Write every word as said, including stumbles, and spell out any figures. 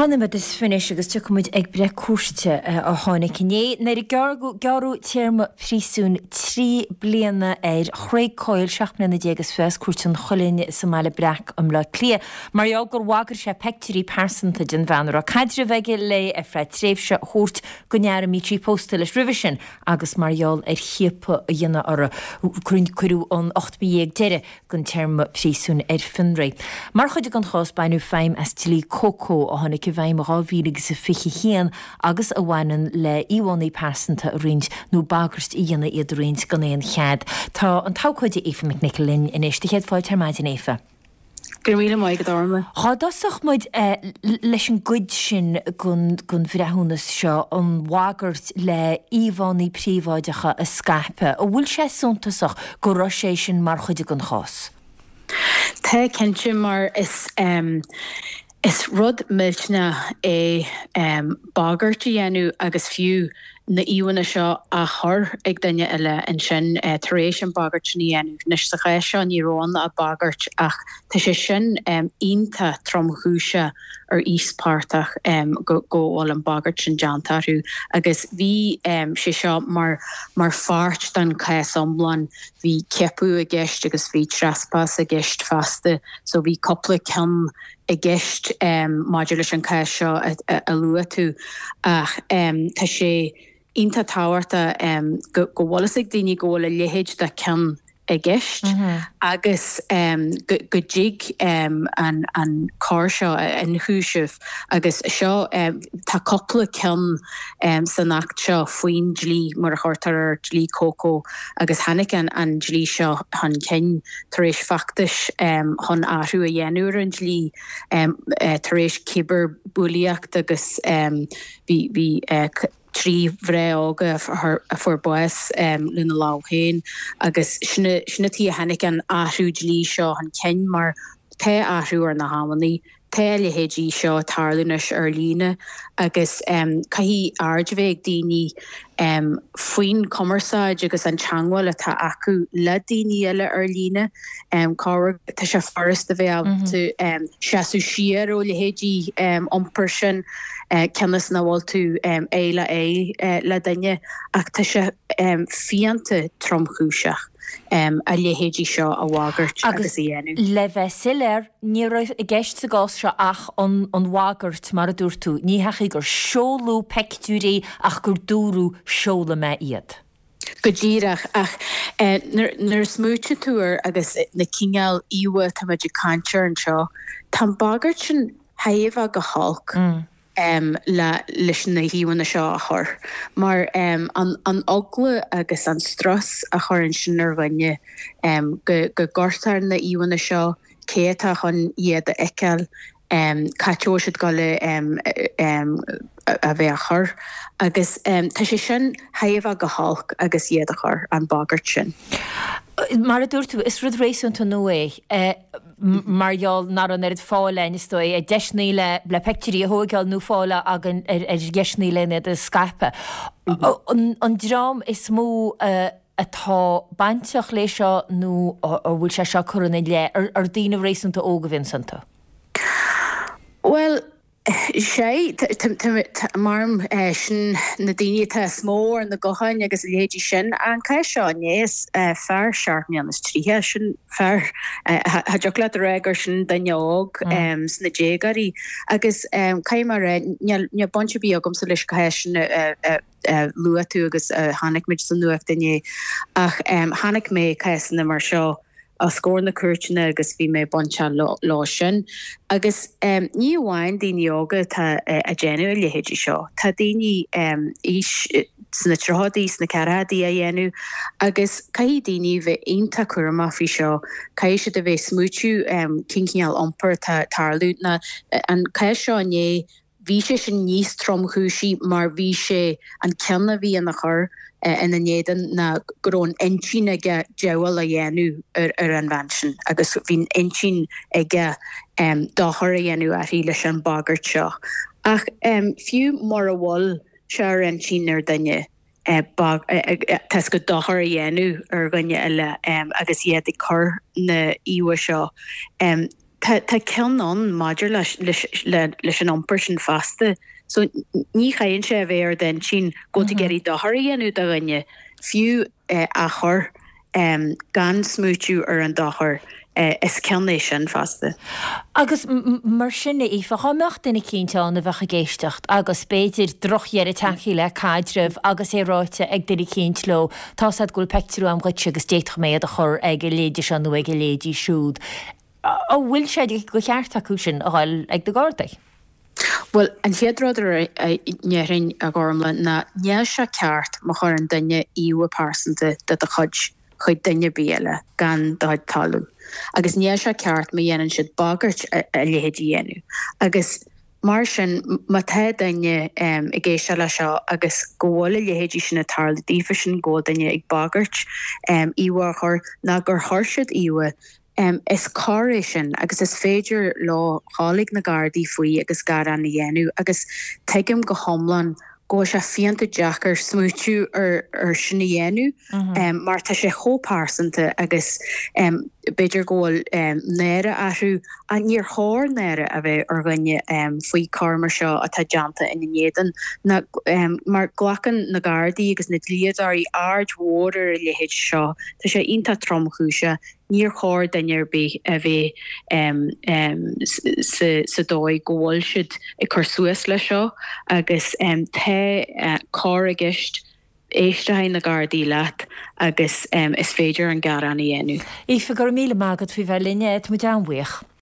Dhá nóiméad is fiche anois agus tiocfaidh muid ag breith cúirte a tháinig inné nuair a gearradh téarma príosúin trí bliana ar Chraig Coyle, seacht mbliana déag is fiche as Cúirt an Chuilinn sa mBaile Breac i mBleá Cliath mar gheall gur bhagair sé peictiúirí pearsanta den bhean a raibh caidreamh aige léi ar feadh tréimhse a thabhairt don fhear a mbíodh sí pósta leis roimhe sin agus mar gheall ar chiapadh a dhéanamh uirthi. Cuireadh an ocht mí dhéag deiridh den téarma príosúin ar fionraí. Mar chuid den chás baineadh feidhm as dlí Coco a tháinig i bhfeidhm i dhá mhíle agus a fiche haon agus a bhaineann le íomhánna pearsanta a roinnt nó bagairt a dhéanamh iad a roinnt gan aon chead. Tá an t-abhcóide Aoife McNicholl linn anois. Do chéad fáilte ar maidin, Aoife. Go raibh míle maith agat, Orla. Dhá dtosódh muid leis an gcuid sin den bhreithiúnas seo, an bhagairt le íomhánna príobháideacha a scaipeadh, an bhfuil sé suntasach go raibh sé sin mar chuid den chás? Tá, cinnte, mar is is rud millteanach é bagairt a dhéanamh agus fiú na íomhánna seo á chur ag duine eile ansin tar éis an bhagairt sin a dhéanamh. Anois sa chás seo ní raibh ann ach bagairt ach tá sé sin iontach tromchúiseach ar íospartach go go bhfuil an bhagairt sin déanta orthu agus bhí sé seo mar mar pháirt den chás iomlán. Bhí ciapadh i gceist agus bhí trespass i gceist fosta so bhí cúpla ceann i gceist maidir leis an chás seo a luaigh tú ach tá sé iontach tábhachtach go go bhfuil fhios ag daoine go bhfuil a leithéid de cheann i gceist agus go go dtig an an coir seo a ionchúiseamh agus seo tá cúpla ceann san Acht seo faoin dlí mar a chuirtear air dlí Coco agus tháinig an an dlí seo chun cinn tar éis feachtais chun athrú a dhéanamh ar an dlí tar éis cibearbhulaíocht agus bhí bhí trí mhná óga a fuair bás lena lámh féin agus sin sin an tuige a tháinig an athrú dlí seo chun cinn mar tá athrú ar na hamannaí, tá a leithéidí seo ag tarlú anois ar líne agus caithfidh aird a bheith ag daoine faoin chumarsáid agus an teagmháil atá acu le daoine eile ar líne. Corruair tá sé furast a bheith ábalta seasamh siar ó leithéidí iompair sin cionn is nach bhfuil tú aghaidh le aghaidh le duine ach tá sé fiánta tromchúiseach a leithéidí seo a bhagairt agus a dhéanamh. Le bheith soiléir, ní raibh i gceist sa gcás seo ach an bhagairt, mar a dúirt tú. Ní hea gur seoladh peictiúirí ach gur dúradh seolfaidh mé iad. Go díreach, ach nuair a smaoitíonn tú air agus na cineál íomhá atá muid ag caint air anseo, tá an bhagairt sin thar a bheith go holc le leis na híomhánna seo a chur, mar an an eagla agus an strus a chuireann sin ar dhuine go go gcuirtear na íomhánna seo, cé atá chun iad a fheiceáil, cá háit a bhfuil siad ag dul a bheith á chur agus tá sé sin thar a bheith go holc agus iad a chur, an bhagairt sin. Mar a dúirt tú, is rud réasúnta nua é mar gheall nach raibh an oiread fáil againn, is dóigh, ar dheiseanna le le peictiúirí a thóigeáil nó fáil againn ar ar dheiseanna le iad a scaipeadh. An dream is mó atá bainteach léi seo nó a bhfuil sé seo curtha ina leith, ar daoine réasúnta óga a bhíonn iontu? Bhuel, sea, maram sin na daoine atá is mó ar na gutháin agus a leithéidí sin. An cás seo inné, is fear seacht mbliana is tríocha, sin fear, cha dtiocfadh leat a rá gur sin duine óg sna déagóirí. Agus caithfidh mé a rá, níl baint ar bith agamsa leis an chás sin a luaigh tú agus a chonaic muid sa nuacht inné, ach chonaic mé cásanna mar seo os comhair na cúirteanna agus bhí mé bainteach leo sin. Agus ní amháin daoine óga atá ag déanamh a leithéidí seo, tá daoine aois sna tríochaidí, sna ceathrachaidí á dhéanamh agus caithfidh daoine bheith iontach cúramach faoi seo, caithfidh siad a bheith ag smaoitiú cén cineál iompair atá ag tarlú. Ná an cás seo inné, Bhí sé sin níos tromchúisí mar bhí sé an cion a bhí ina chur ina n-éadan ná go raibh an intinn aige diabhal a dhéanamh ar an bhean sin agus bhí an intinn aige dochar a dhéanamh uirthi leis an bhagairt seo. Ach fiú mura bhfuil sé ar intinn ar dhuine, tá 's agat dochar a dhéanamh ar dhuine eile agus iad ag cur na íomhá seo, tá tá cion ann maidir leis leis leis an iompar sin fosta. So ní chaitheann sé a bheith ar d'intinn go bhfuil tú ag iarraidh dochar a dhéanamh do dhuine, fiú á chur gan smaoitiú ar an dochar, is cion é sin fosta. Agus mar sin, a Aoife, dhá mbeadh duine eicínt ann a bheadh ag éisteacht agus b'fhéidir drochdheireadh tagtha le caidreamh agus é ráite ag duine eicínt leo, tá's a'd go bhfuil peictiúr a'm dhuitse agus d'fhéadfadh mé iad a chur ag a leithéidí seo nó ag a leithéidí siúd. An bhfuil sé de cheart acu sin a dhul ag na Gardaí? Bhuel, an chéad rud a ndéarfainn, a Ghormlaith, ná níl sé ceart má chuireann duine íomha pearsanta de do chuid chuig duine ar bith eile gan do chuid toiliú. Agus níl sé ceart má dhéanann siad bagairt a leithéid a dhéanamh. Agus mar sin, má tá duine ag éisteacht leis seo agus go bhfuil a leithéidí sin ag tarlú daofa sin, go bhfuil duine ag bagairt íomhá a chur, ná gur chuir siad íomhá, Is coir é sin agus is féidir leo dhul ag na Gardaí faoi agus gearán a dhéanamh agus tuigim go hiomlán go bhfuil sé fiúntach deacair smaoitiú ar sin a dhéanamh mar tá sé chomh pearsanta agus b'fhéidir go bhfuil náire orthu ach níor chóir náire a bheith ar dhuine faoi choir mar seo atá déanta ina n-éadan mar glacann na Gardaí agus na dlíodóirí aird mhór ar a leithéid seo. Tá sé iontach tromchúiseach. Níor chóir duine ar bith a bheith sa dóigh go bhfuil siad ag cur suas leis seo agus tá coir i gceist, éistfidh na Gardaí leat agus is féidir an gearán a dhéanamh. Aoife, go raibh míle maith agat faoi bheith linn, tá muid an-bhuíoch.